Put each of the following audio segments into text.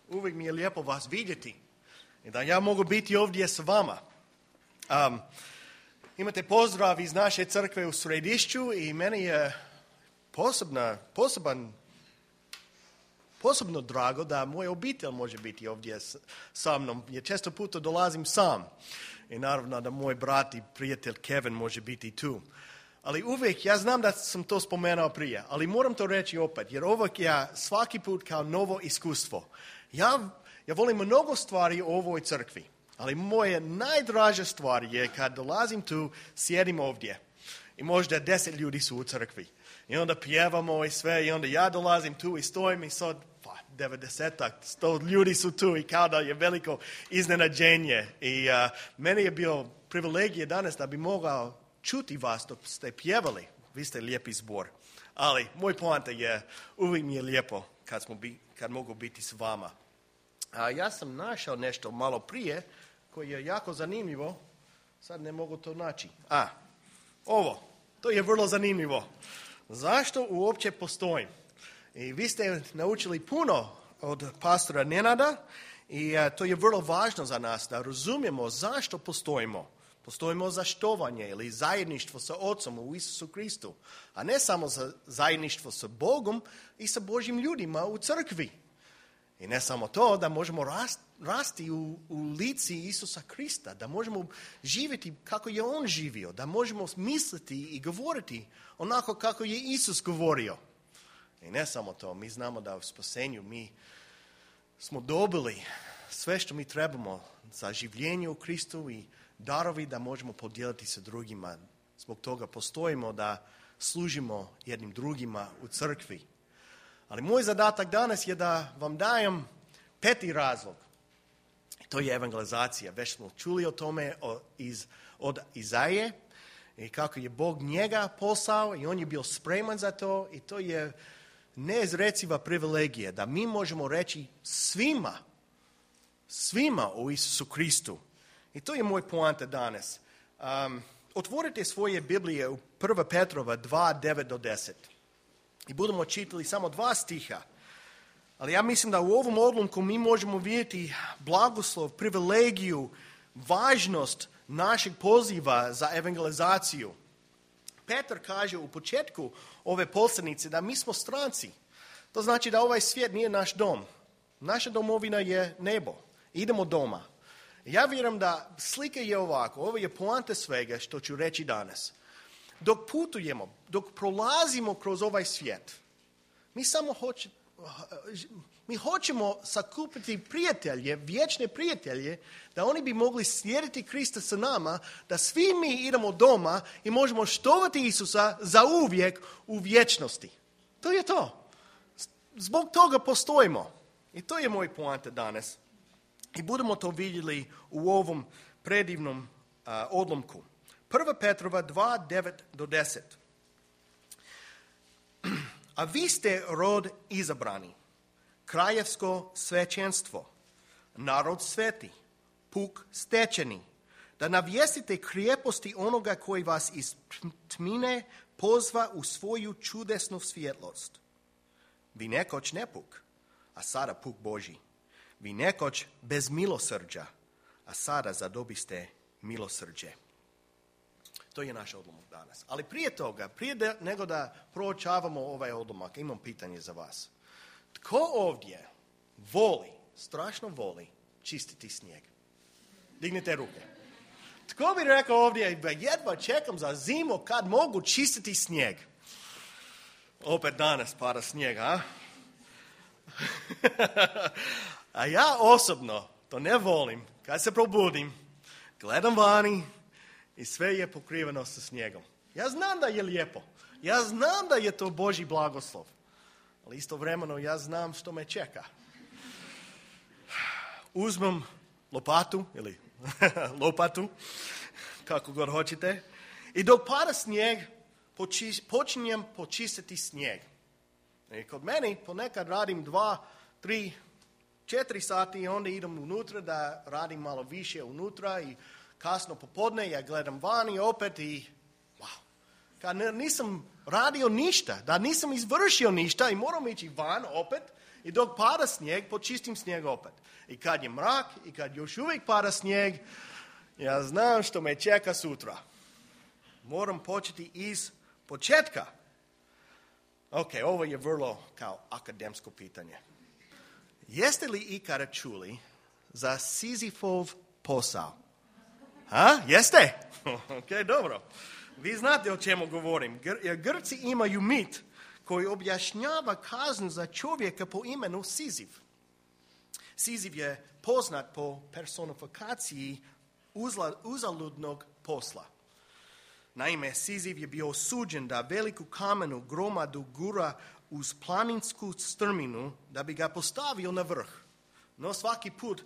Uvijek mi je lijepo vas vidjeti i da ja mogu biti ovdje s vama. Imate pozdrav iz naše crkve u Središću i meni je posebno drago da moja obitelj može biti ovdje sa mnom, jer često puta dolazim sam. I naravno da moj brat i prijatelj Kevin može biti tu. Ali uvijek, ja znam da sam to spomenuo prije, ali moram to reći opet, jer uvijek ja svaki put kao novo iskustvo. Ja volim mnogo stvari u ovoj crkvi, ali moja najdraža stvar je kad dolazim tu, sjedim ovdje i možda 10 ljudi su u crkvi. I onda pjevamo i sve i onda ja dolazim tu i stojim i sad 90-ak, 100 ljudi su tu i kao da je veliko iznenađenje. I meni je bio privilegije danas da bi mogao čuti vas dok ste pjevali. Vi ste lijepi zbor. Ali moj poanta je, uvijek mi je lijepo kad mogu biti s vama. Ja sam našao nešto malo prije koje je jako zanimljivo. Sad ne mogu to naći. To je vrlo zanimljivo. Zašto uopće postojim? I vi ste naučili puno od pastora Nenada i to je vrlo važno za nas da razumijemo zašto postojimo. Postojimo za štovanje ili zajedništvo sa Otcom u Isusu Kristu, a ne samo za zajedništvo sa Bogom i sa Božjim ljudima u crkvi. I ne samo to, da možemo rasti u lici Isusa Krista, da možemo živjeti kako je On živio, da možemo misliti i govoriti onako kako je Isus govorio. I ne samo to, mi znamo da u spasenju mi smo dobili sve što mi trebamo za življenje u Kristu i darovi da možemo podijeliti sa drugima. Zbog toga postojimo da služimo jednim drugima u crkvi. Ali moj zadatak danas je da vam dajem 5. razlog. To je evangelizacija. Već smo čuli o tome od Izaije i kako je Bog njega poslao i on je bio spreman za to i to je neizreciva privilegija da mi možemo reći svima o Isusu Kristu. I to je moj poanta danas. Otvorite svoje Biblije u 1. Petrova 2, 9-10. I budemo čitali samo 2 stiha. Ali ja mislim da u ovom odlomku mi možemo vidjeti blagoslov, privilegiju, važnost našeg poziva za evangelizaciju. Petar kaže u početku ove poslanice da mi smo stranci. To znači da ovaj svijet nije naš dom. Naša domovina je nebo. Idemo doma. Ja vjerujem da slika je ovako. Ovo je poanta svega što ću reći danas. Dok putujemo, dok prolazimo kroz ovaj svijet, mi hoćemo sakupiti prijatelje, vječne prijatelje, da oni bi mogli slijediti Krista sa nama, da svi mi idemo doma i možemo štovati Isusa za uvijek u vječnosti. To je to. Zbog toga postojimo. I to je moj poanta danas. I budemo to vidjeli u ovom predivnom odlomku. 1. Petrova 2, 9-10. A vi ste rod izabrani, kraljevsko svećenstvo, narod sveti, puk stečeni, da navijestite krijeposti onoga koji vas iz tmine pozva u svoju čudesnu svjetlost. Vi nekoć nepuk, a sada puk Božji. Vi nekoć bez milosrđa, a sada zadobiste milosrđe. To je naš odlomak danas. Ali prije toga, nego da proučavamo ovaj odlomak, imam pitanje za vas. Tko ovdje strašno voli čistiti snijeg? Dignite ruke. Tko bi rekao ovdje, jedva čekam za zimu kad mogu čistiti snijeg? Opet danas pada snijeg, a? A ja osobno to ne volim. Kad se probudim, gledam vani i sve je pokriveno sa snijegom. Ja znam da je lijepo. Ja znam da je to Božji blagoslov. Ali istovremeno ja znam što me čeka. Uzmem lopatu ili lopatu, kako god hoćete, i dok pada snijeg, počinjem počistiti snijeg. I kod meni ponekad radim 2, 3, 4 sati i onda idem unutra da radim malo više unutra i kasno popodne ja gledam vani opet i kad nisam radio ništa, da nisam izvršio ništa i moram ići van opet I dok pada snijeg, počistim snijeg opet. I kad je mrak, i kad još uvijek pada snijeg, ja znam što me čeka sutra. Moram početi iz početka. Ok, ovo je vrlo kao akademsko pitanje. Jeste li ikada čuli za Sizifov posao? Jeste? Ok, dobro. Vi znate o čemu govorim. Grci imaju mit koji objašnjava kaznu za čovjeka po imenu Siziv. Siziv je poznat po personifikaciji uzaludnog posla. Naime, Siziv je bio osuđen da veliku kamenu gromadu gura uz planinsku strminu da bi ga postavio na vrh. No svaki put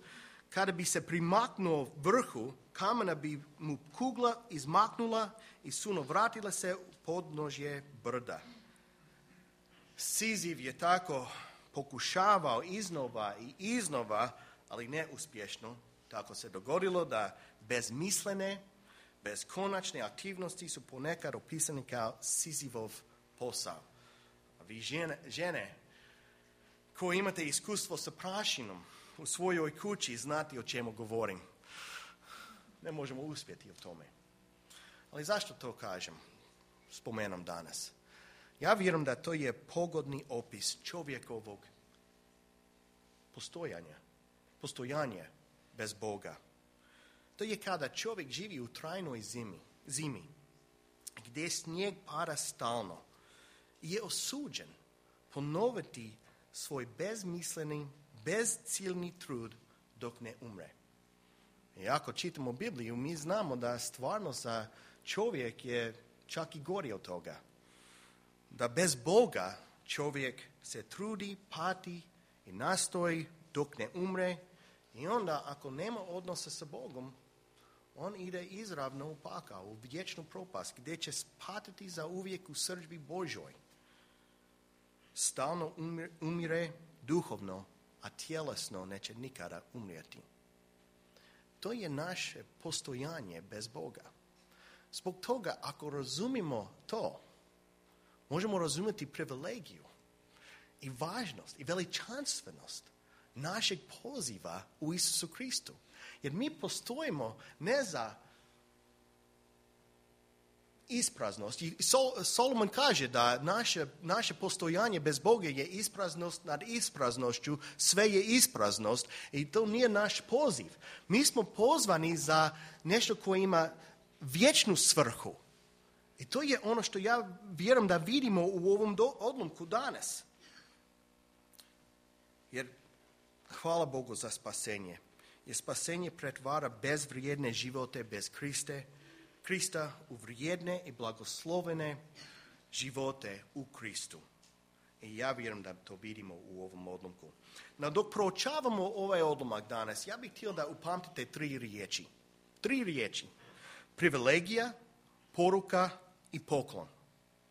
kada bi se primaknuo vrhu, kamena bi mu kugla izmaknula i suno vratila se u podnožje brda. Siziv je tako pokušavao iznova, ali neuspješno. Tako se dogodilo da bezmislene, beskonačne aktivnosti su ponekad opisani kao Sizivov posao. A vi žene koji imate iskustvo sa prašinom u svojoj kući, znate o čemu govorim. Ne možemo uspjeti u tome. Ali zašto to kažem? Spomenem danas. Ja vjerujem da to je pogodni opis čovjekovog postojanja bez Boga. To je kada čovjek živi u trajnoj zimi, gdje snijeg pada stalno i je osuđen ponoviti svoj bezmisleni, bezciljni trud dok ne umre. I ako čitamo Bibliju, mi znamo da stvarno za čovjek je čak i gori od toga. Da bez Boga čovjek se trudi, pati i nastoji dok ne umre i onda ako nema odnosa sa Bogom, on ide izravno u pakao, u vječnu propast, gdje će patiti za uvijek u srdžbi Božoj. Stalno umire duhovno, a tjelesno neće nikada umrijeti. To je naše postojanje bez Boga. Zbog toga, ako razumimo to, možemo razumjeti privilegiju i važnost i veličanstvenost našeg poziva u Isusu Kristu. Jer mi postojimo ne za ispraznost. I Solomon kaže da naše postojanje bez Boga je ispraznost nad ispraznošću, sve je ispraznost i to nije naš poziv. Mi smo pozvani za nešto koje ima vječnu svrhu. I to je ono što ja vjerujem da vidimo u ovom odlomku danas. Jer hvala Bogu za spasenje. Jer spasenje pretvara bezvrijedne živote bez Krista u vrijedne i blagoslovene živote u Kristu. I ja vjerujem da to vidimo u ovom odlomku. No dok proučavamo ovaj odlomak danas, ja bih htio da upamtite 3 riječi. 3 riječi. Privilegija, poruka i poklon.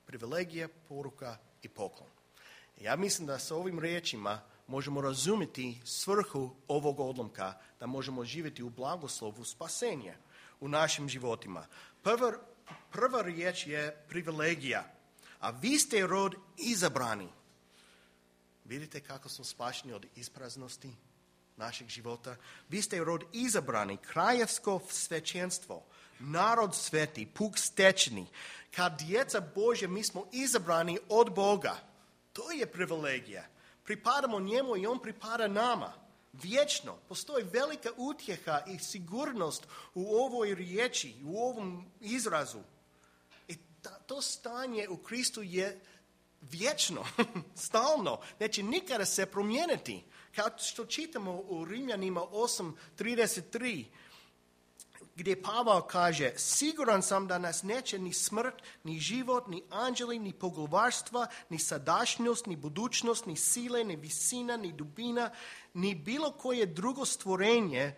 Privilegija, poruka i poklon. Ja mislim da sa ovim riječima možemo razumjeti svrhu ovog odlomka, da možemo živjeti u blagoslovu spasenja u našim životima. Prva riječ je privilegija, a vi ste rod izabrani. Vidite kako smo spašeni od ispraznosti našeg života? Vi ste rod izabrani, kraljevsko svećenstvo, narod sveti, puk stečeni. Kad djeca Božja, mi smo izabrani od Boga. To je privilegija. Pripadamo njemu i on pripada nama. Vječno. Postoji velika utjeha i sigurnost u ovoj riječi, u ovom izrazu. I to stanje u Kristu je vječno, stalno. Neće nikada se promijeniti. Kao što čitamo u Rimljanima 8:33, gdje Pavao kaže: siguran sam da nas neće ni smrt, ni život, ni anđeli, ni poglavarstva, ni sadašnjost, ni budućnost, ni sile, ni visina, ni dubina, ni bilo koje drugo stvorenje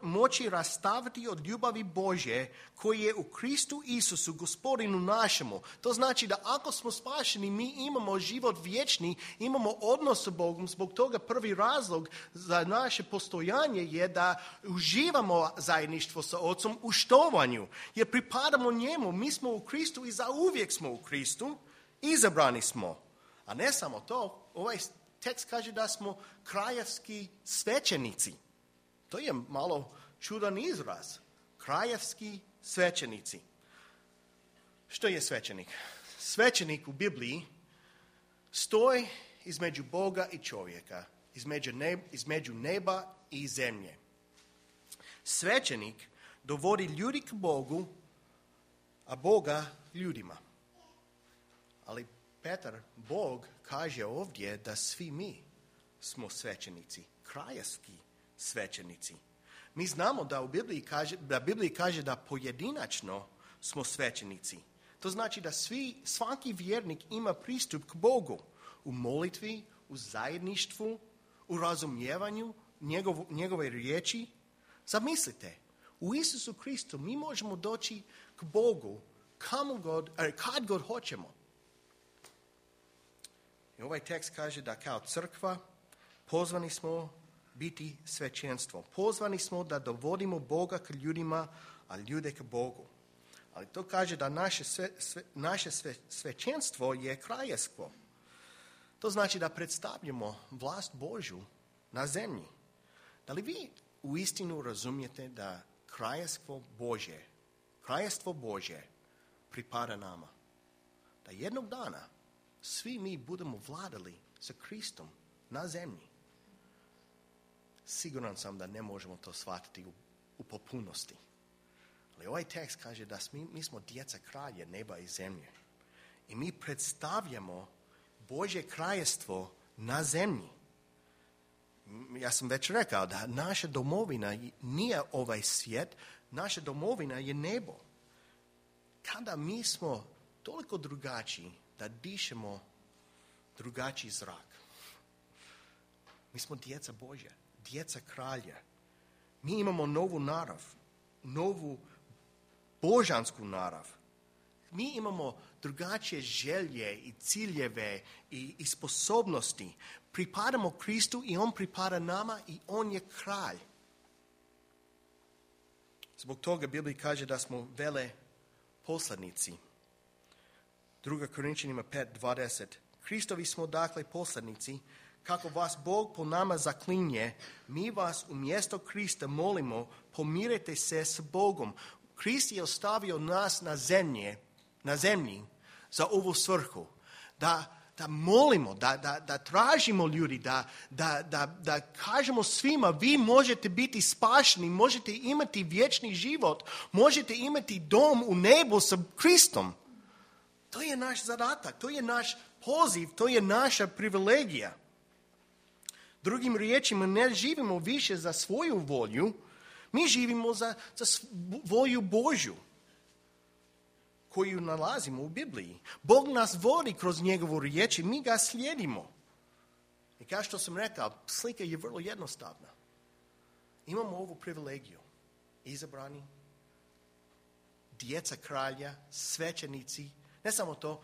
moći rastaviti od ljubavi Božje koji je u Kristu Isusu, Gospodinu našemu. To znači da ako smo spašeni, mi imamo život vječni, imamo odnos sa Bogom. Zbog toga prvi razlog za naše postojanje je da uživamo zajedništvo sa Otcom u štovanju. Jer pripadamo njemu, mi smo u Kristu i zauvijek smo u Kristu, izabrani smo. A ne samo to, ovaj tekst kaže da smo krajevski svećenici. To je malo čudan izraz. Krajevski svećenici. Što je svećenik? Svećenik u Bibliji stoji između Boga i čovjeka, između neba i zemlje. Svećenik dovodi ljudi k Bogu, a Boga ljudima. Ali Bog kaže ovdje da svi mi smo svećenici, krajevski svećenici. Mi znamo da u Bibliji kaže da pojedinačno smo svećenici. To znači da svaki vjernik ima pristup k Bogu u molitvi, u zajedništvu, u razumijevanju njegove riječi. Zamislite, u Isusu Kristu mi možemo doći k Bogu kad god hoćemo. I ovaj tekst kaže da kao crkva pozvani smo biti svećenstvo. Pozvani smo da dovodimo Boga k ljudima, a ljude k Bogu. Ali to kaže da naše svećenstvo je kraljevstvo. To znači da predstavljamo vlast Božju na zemlji. Da li vi uistinu razumijete da kraljevstvo Božje pripada nama? Da jednog dana svi mi budemo vladali sa Kristom na zemlji. Siguran sam da ne možemo to shvatiti u potpunosti. Ali ovaj tekst kaže da mi smo djeca kralja neba i zemlje. I mi predstavljamo Božje kraljevstvo na zemlji. Ja sam već rekao da naša domovina nije ovaj svijet, naša domovina je nebo. Kada mi smo toliko drugačiji da dišemo drugačiji zrak. Mi smo djeca Božja, djeca kralja. Mi imamo novu narav, novu božansku narav. Mi imamo drugačije želje i ciljeve i sposobnosti. Pripadamo Kristu i On pripada nama i On je kralj. Zbog toga Biblija kaže da smo veleposlanici. 2. Korinčanima 5:20. Kristovi smo dakle poslanici, kako vas Bog po nama zaklinje, mi vas umjesto Krista molimo, pomirite se s Bogom. Krist je ostavio nas na zemlji za ovu svrhu. Da molimo, da tražimo ljudi, da kažemo svima, vi možete biti spašeni, možete imati vječni život, možete imati dom u nebu sa Kristom. To je naš zadatak, to je naš poziv, to je naša privilegija. Drugim riječima, ne živimo više za svoju volju, mi živimo za volju Božju koju nalazimo u Bibliji. Bog nas vodi kroz njegovu riječ i mi ga slijedimo. I kao što sam rekao, slika je vrlo jednostavna. Imamo ovu privilegiju. Izabrani, djeca kralja, svećenici, ne samo to,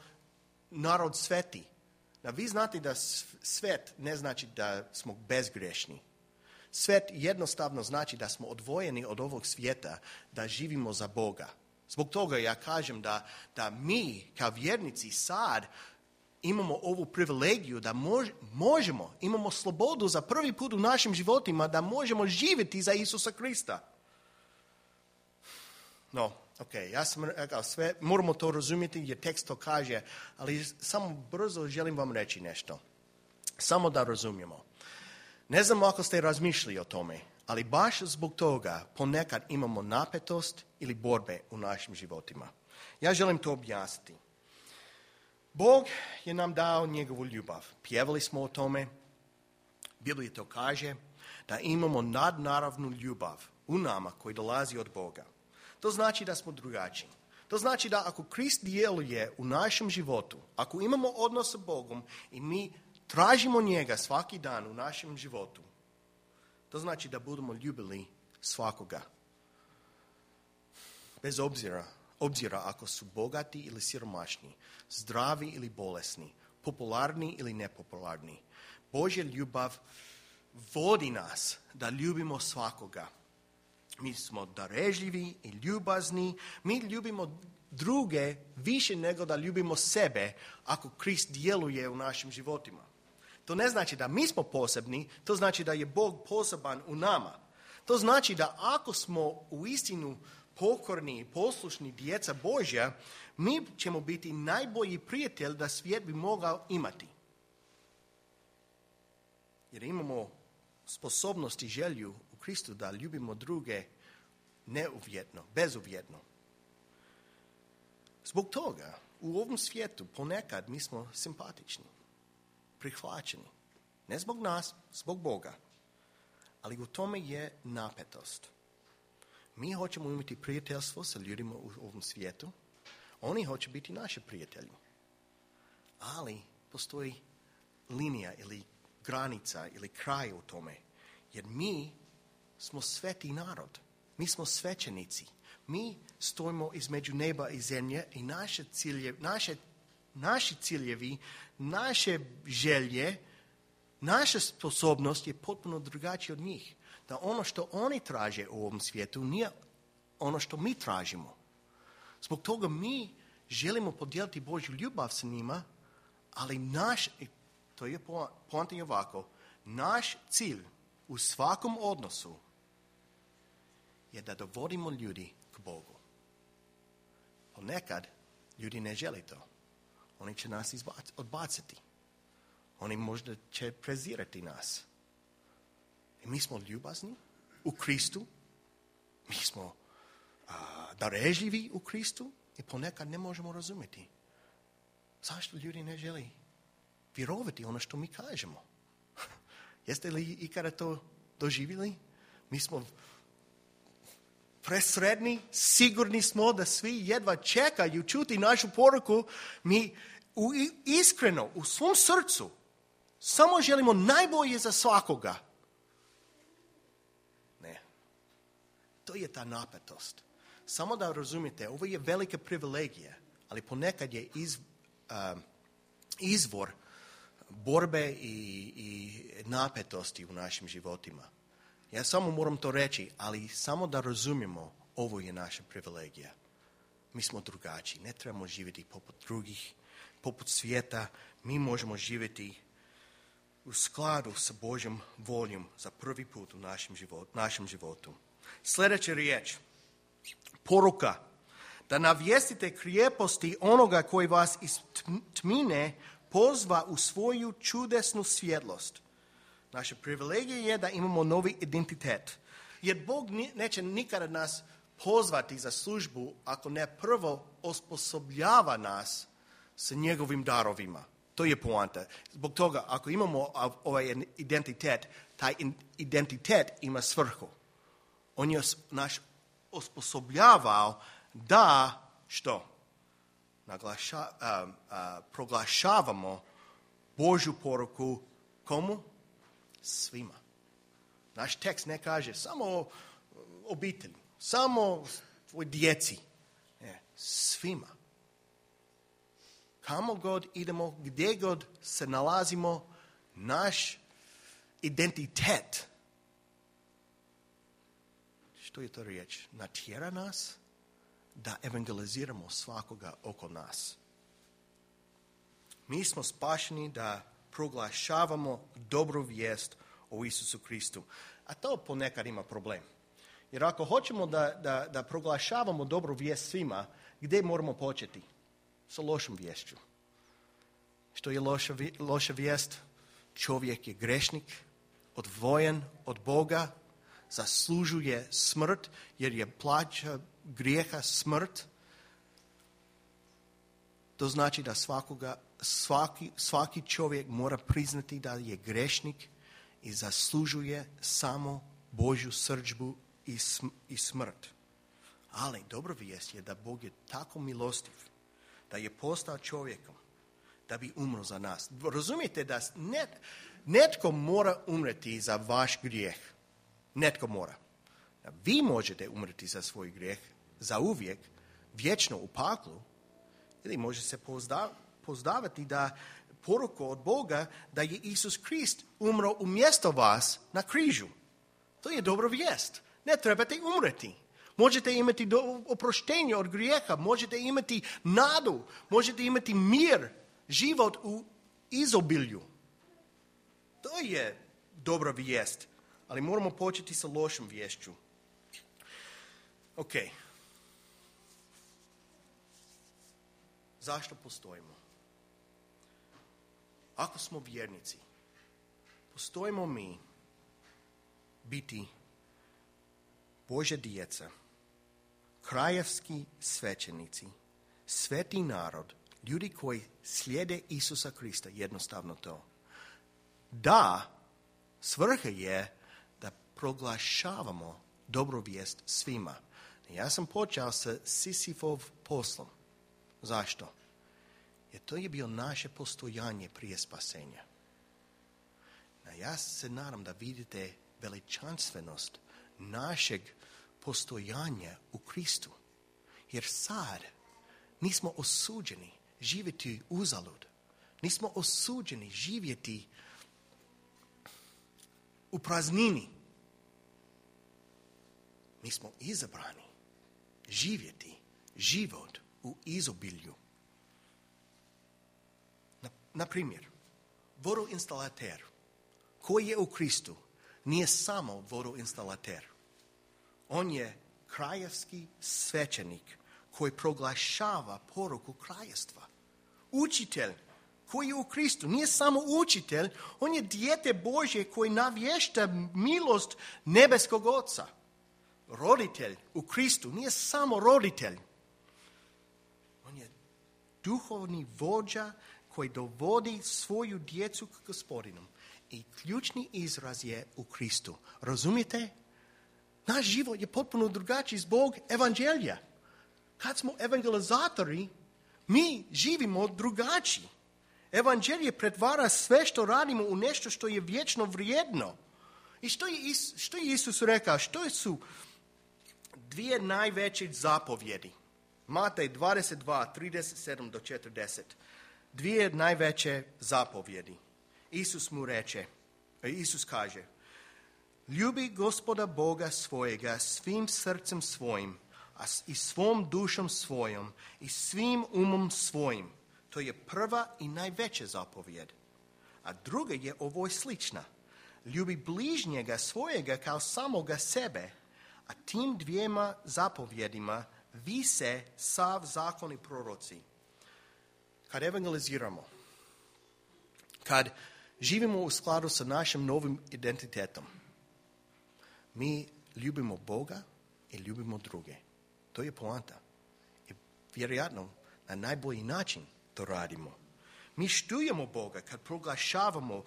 narod sveti. Da vi znate da svet ne znači da smo bezgrešni. Svet jednostavno znači da smo odvojeni od ovog svijeta, da živimo za Boga. Zbog toga ja kažem da mi kao vjernici sad imamo ovu privilegiju da imamo slobodu za prvi put u našim životima da možemo živjeti za Isusa Krista. No, ja sam rekao sve, moramo to razumjeti jer tekst to kaže, ali samo brzo želim vam reći nešto. Samo da razumijemo. Ne znam ako ste razmišljali o tome, ali baš zbog toga ponekad imamo napetost ili borbe u našim životima. Ja želim to objasniti. Bog je nam dao njegovu ljubav. Pjevali smo o tome. Biblija to kaže da imamo nadnaravnu ljubav u nama koji dolazi od Boga. To znači da smo drugačiji. To znači da ako Krist djeluje u našem životu, ako imamo odnos sa Bogom i mi tražimo njega svaki dan u našem životu, to znači da budemo ljubili svakoga. Bez obzira ako su bogati ili siromašni, zdravi ili bolesni, popularni ili nepopularni. Božja ljubav vodi nas da ljubimo svakoga. Mi smo darežljivi i ljubazni. Mi ljubimo druge više nego da ljubimo sebe ako Krist djeluje u našim životima. To ne znači da mi smo posebni, to znači da je Bog poseban u nama. To znači da ako smo u istinu pokorni i poslušni djeca Božja, mi ćemo biti najbolji prijatelj da svijet bi mogao imati. Jer imamo sposobnost i želju u Kristu da ljubimo druge neuvjetno, bezuvjetno. Zbog toga u ovom svijetu ponekad mi smo simpatični, prihvaćeni. Ne zbog nas, zbog Boga. Ali u tome je napetost. Mi hoćemo imati prijateljstvo sa ljudima u ovom svijetu. Oni hoće biti naši prijatelji. Ali postoji linija ili granica ili kraj u tome. Jer mi smo sveti narod. Mi smo svećenici. Mi stojimo između neba i zemlje i naši ciljevi, naše želje, naša sposobnost je potpuno drugačija od njih. Da ono što oni traže u ovom svijetu nije ono što mi tražimo. Zbog toga mi želimo podijeliti Božju ljubav sa njima, ali to je poanta je ovako, naš cilj u svakom odnosu je da dovodimo ljudi k Bogu. Ponekad ljudi ne žele to. Oni će nas odbaciti. Oni možda će prezirati nas. I mi smo ljubazni u Kristu. Mi smo darežljivi u Kristu i ponekad ne možemo razumjeti. Zašto ljudi ne žele vjerovati ono što mi kažemo? Jeste li ikada to doživjeli? Mi smo presredni, sigurni smo da svi jedva čekaju čuti našu poruku. Mi iskreno, u svom srcu, samo želimo najbolje za svakoga. Ne. To je ta napetost. Samo da razumijete, ovo je velika privilegija, ali ponekad je izvor borbe i napetosti u našim životima. Ja samo moram to reći, ali samo da razumijemo, ovo je naša privilegija. Mi smo drugačiji, ne trebamo živjeti poput drugih, poput svijeta. Mi možemo živjeti u skladu sa Božjom voljom za prvi put u našem životu. Sljedeća riječ, poruka, da navijestite krijeposti onoga koji vas iz tmine pozva u svoju čudesnu svjetlost. Naša privilegija je da imamo novi identitet. Jer Bog neće nikada nas pozvati za službu ako ne prvo osposobljava nas sa njegovim darovima. To je poanta. Zbog toga, ako imamo ovaj identitet, taj identitet ima svrhu. On je naš osposobljavao da, što? Proglašavamo Božju poruku komu? Svima. Naš tekst ne kaže samo obitelji, samo tvoj djeci. Ne, svima. Kamo god idemo, gdje god se nalazimo, naš identitet. Što je to riječ? Natjera nas da evangeliziramo svakoga oko nas. Mi smo spašeni da proglašavamo dobru vijest o Isusu Kristu. A to ponekad ima problem. Jer ako hoćemo da proglašavamo dobru vijest svima, gdje moramo početi? Sa lošom viješću. Što je loša vijest? Čovjek je grešnik, odvojen od Boga, zaslužuje smrt, jer je plaća grijeha smrt. To znači da svaki čovjek mora priznati da je grešnik i zaslužuje samo Božju srdžbu i smrt. Ali dobra vijest je da Bog je tako milostiv, da je postao čovjekom, da bi umro za nas. Razumijete da netko mora umreti za vaš grijeh. Netko mora. Vi možete umreti za svoj grijeh za uvijek, vječno u paklu, ili može se pozdavati da poruku od Boga da je Isus Krist umro umjesto vas na križu. To je dobra vijest. Ne trebate umreti. Možete imati oproštenje od grijeha, možete imati nadu, možete imati mir, život u izobilju. To je dobra vijest, ali moramo početi sa lošom viješću. Ok. Zašto postojimo? Ako smo vjernici, postojimo mi biti Božja djeca, krajevski svećenici, sveti narod, ljudi koji slijede Isusa Krista, jednostavno to. Da, svrha je da proglašavamo dobru vijest svima. Ja sam počeo sa Sisifov poslom. Zašto? Jer to je bio naše postojanje prije spasenja. Ja se nadam da vidite veličanstvenost našeg postojanja u Kristu. Jer sad nismo osuđeni živjeti uzalud. Nismo osuđeni živjeti u praznini. Mi smo izabrani živjeti život u izobilju. Na primjer, vodoinstalater koji je u Kristu nije samo vodoinstalater. On je krajevski svećenik koji proglašava poruku kraljevstva. Učitelj koji je u Kristu nije samo učitelj, on je dijete Božje koji navješta milost nebeskog Oca. Roditelj u Kristu nije samo roditelj. On je duhovni vođa koji dovodi svoju djecu k Gospodinu. I ključni izraz je u Kristu. Razumijete? Naš život je potpuno drugačiji zbog evanđelja. Kad smo evangelizatori, mi živimo drugačiji. Evanđelje pretvara sve što radimo u nešto što je vječno vrijedno. I što je Isus rekao? Što su dvije najveće zapovjedi? Matej 22, 37 do 40. Dvije najveće zapovjedi. Isus kaže, ljubi Gospoda Boga svojega svim srcem svojim, a i svom dušom svojom, i svim umom svojim. To je prva i najveća zapovjed. A druga je ovoj slična. Ljubi bližnjega svojega kao samoga sebe, a tim dvijema zapovjedima vise sav zakon i proroci. Kad evangeliziramo, kad živimo u skladu sa našim novim identitetom, mi ljubimo Boga i ljubimo druge. To je poanta. I vjerojatno na najbolji način to radimo. Mi štujemo Boga kad proglašavamo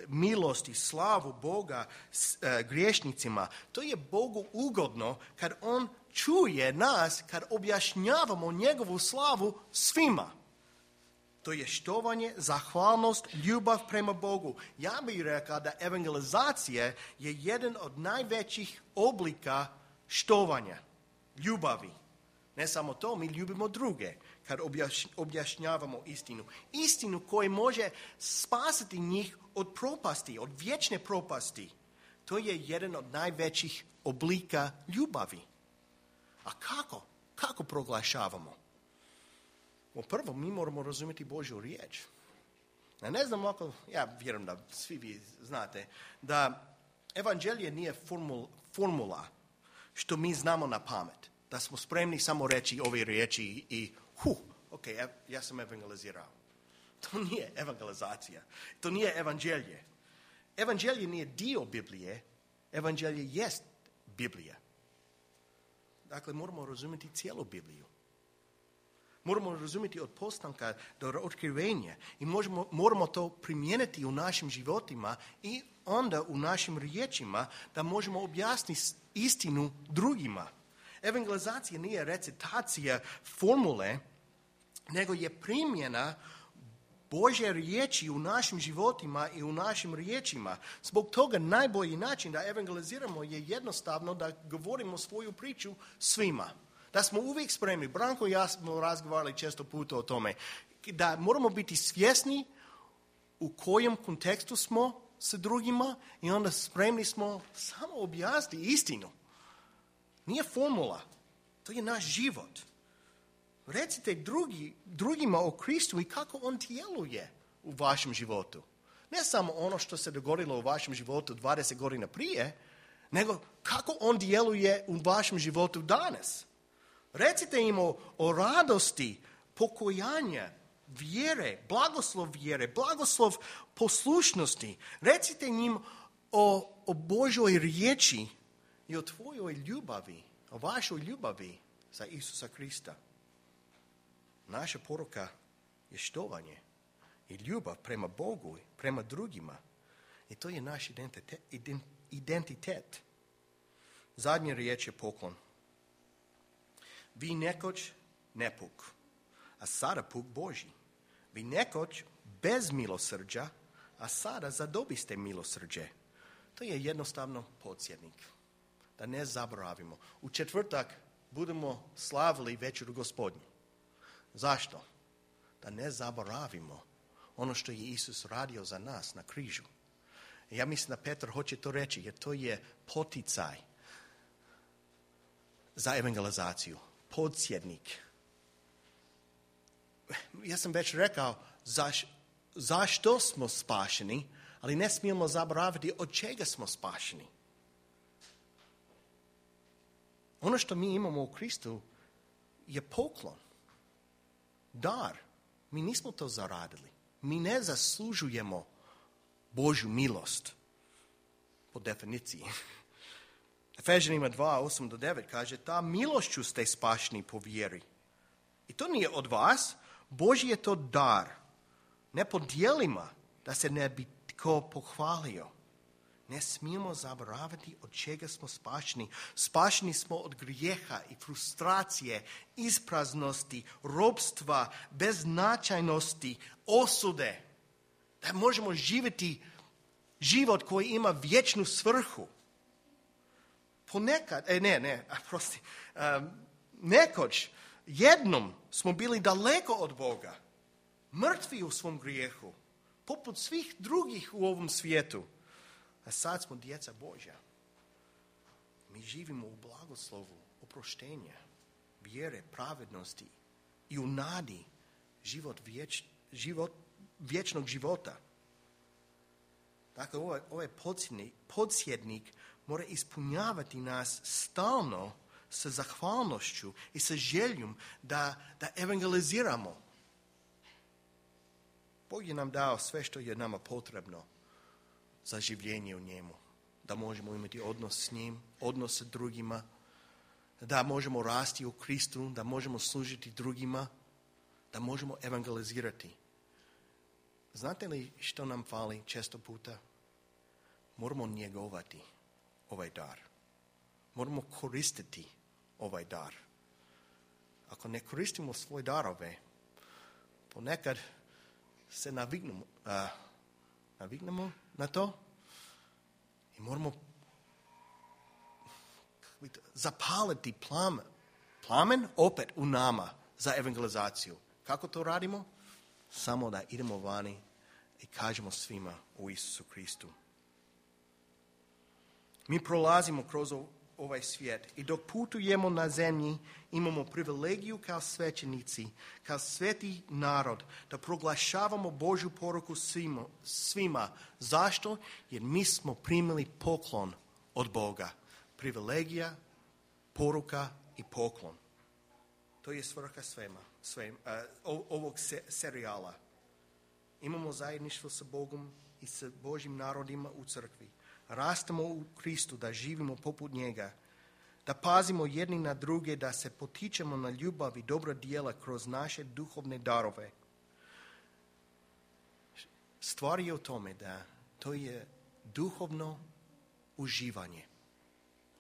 milost i slavu Boga griješnicima. To je Bogu ugodno kad On čuje nas, kad objašnjavamo njegovu slavu svima. To je štovanje, zahvalnost, ljubav prema Bogu. Ja bih rekao da evangelizacija je jedan od najvećih oblika štovanja, ljubavi. Ne samo to, mi ljubimo druge kad objašnjavamo istinu. Istinu koja može spasiti njih od propasti, od vječne propasti. To je jedan od najvećih oblika ljubavi. A kako? Kako proglašavamo? Prvo, mi moramo razumjeti Božju riječ. Ja ne znam ako, ja vjerujem da svi vi znate, da evanđelje nije formula što mi znamo na pamet. Da smo spremni samo reći ove riječi i ok, ja sam evangelizirao. To nije evangelizacija. To nije evanđelje. Evanđelje nije dio Biblije. Evanđelje jest Biblija. Dakle, moramo razumjeti cijelu Bibliju. Moramo razumjeti od postanka do otkrivenja i moramo to primijeniti u našim životima i onda u našim riječima da možemo objasniti istinu drugima. Evangelizacija nije recitacija formule, nego je primjena Božje riječi u našim životima i u našim riječima. Zbog toga najbolji način da evangeliziramo je jednostavno da govorimo svoju priču svima. Da smo uvijek spremni. Branko i ja smo razgovarali često puta o tome. Da moramo biti svjesni u kojem kontekstu smo sa drugima i onda spremni smo samo objasniti istinu. Nije formula. To je naš život. Recite drugima o Kristu i kako on djeluje u vašem životu. Ne samo ono što se dogodilo u vašem životu 20 godina prije, nego kako on djeluje u vašem životu danas. Recite im o radosti, pokojanja, vjere, blagoslov poslušnosti. Recite njim o Božoj riječi i o tvojoj ljubavi, o vašoj ljubavi za Isusa Krista. Naša poruka je štovanje i ljubav prema Bogu i prema drugima. I to je naš identitet. Zadnja riječ je poklon. Vi nekoć nepuk, a sada puk Božji. Vi nekoć bez milosrđa, a sada zadobiste milosrđe. To je jednostavno podsjetnik. Da ne zaboravimo. U četvrtak budemo slavili večeru Gospodnju. Zašto? Da ne zaboravimo ono što je Isus radio za nas na križu. Ja mislim da Petar hoće to reći, jer to je poticaj za evangelizaciju. Podsjetnik. Ja sam već rekao zašto smo spašeni, ali ne smijemo zaboraviti od čega smo spašeni. Ono što mi imamo u Kristu je poklon. Dar. Mi nismo to zaradili. Mi ne zaslužujemo Božju milost. Po definiciji. Efežanima 2:8-9 kaže, ta milošću ste spašeni po vjeri. I to nije od vas, Božji je to dar. Ne po djelima, da se ne bi tko pohvalio. Ne smijemo zaboraviti od čega smo spašeni. Spašeni smo od grijeha i frustracije, ispraznosti, robstva, beznačajnosti, osude. Da možemo živjeti život koji ima vječnu svrhu. Nekoć, jednom smo bili daleko od Boga, mrtvi u svom grijehu, poput svih drugih u ovom svijetu. A sad smo djeca Božja. Mi živimo u blagoslovu, oproštenja, vjere, pravednosti i u nadi vječnog života. Dakle, ovaj podsjetnik mora ispunjavati nas stalno sa zahvalnošću i sa željom da evangeliziramo. Bog je nam dao sve što je nama potrebno za življenje u njemu. Da možemo imati odnos s njim, odnos sa drugima, da možemo rasti u Kristu, da možemo služiti drugima, da možemo evangelizirati. Znate li što nam fali često puta? Moramo njegovati ovaj dar. Moramo koristiti ovaj dar. Ako ne koristimo svoje darove, ponekad se naviknemo na to i moramo zapaliti plamen opet u nama za evangelizaciju. Kako to radimo? Samo da idemo vani i kažemo svima o Isusu Kristu. Mi prolazimo kroz ovaj svijet i dok putujemo na zemlji imamo privilegiju kao svećenici, kao sveti narod da proglašavamo Božju poruku svima. Zašto? Jer mi smo primili poklon od Boga. Privilegija, poruka i poklon. To je svrha ovog serijala. Imamo zajedništvo sa Bogom i sa Božjim narodima u crkvi. Rastemo u Kristu, da živimo poput njega, da pazimo jedni na druge, da se potičemo na ljubav i dobra djela kroz naše duhovne darove. Stvar je u tome da to je duhovno uživanje.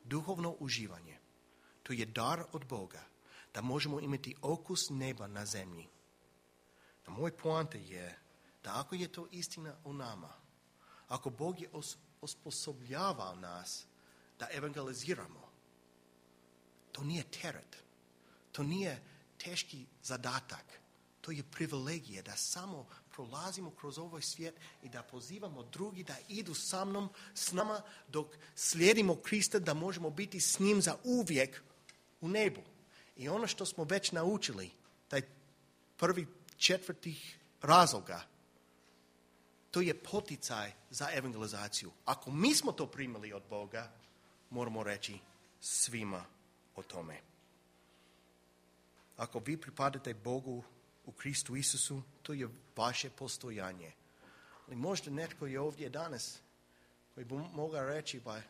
Duhovno uživanje. To je dar od Boga, da možemo imati okus neba na zemlji. A moj poanta je da ako je to istina o nama, ako Bog je osposobljavao nas da evangeliziramo, to nije teret, to nije teški zadatak, to je privilegija da samo prolazimo kroz ovaj svijet i da pozivamo drugi da idu s nama dok slijedimo Krista, da možemo biti s njim za uvijek u nebu. I ono što smo već naučili, taj 4. razloga, to je poticaj za evangelizaciju. Ako mi smo to primili od Boga, moramo reći svima o tome. Ako vi pripadate Bogu u Kristu Isusu, to je vaše postojanje. Ali možda netko je ovdje danas koji bi mogao reći, pa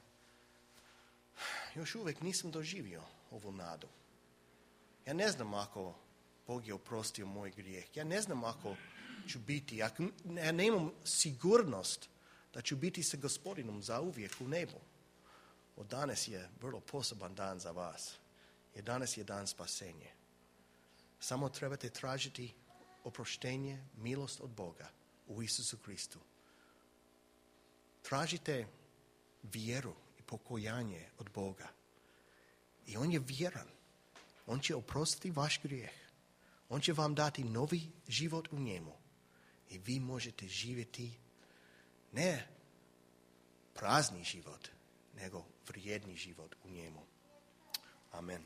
još uvijek nisam doživio ovu nadu. Ja ne znam ako Bog je oprostio moj grijeh. Ja ne znam ako ću biti, ja nemam sigurnost da ću biti sa Gospodinom zauvijek u nebu. Od danas je vrlo poseban dan za vas. Jer danas je dan spasenja. Samo trebate tražiti oproštenje, milost od Boga u Isusu Kristu. Tražite vjeru i pokojanje od Boga. I on je vjeran. On će oprostiti vaš grijeh. On će vam dati novi život u njemu. I vi možete živjeti ne prazni život, nego vrijedni život u njemu. Amen.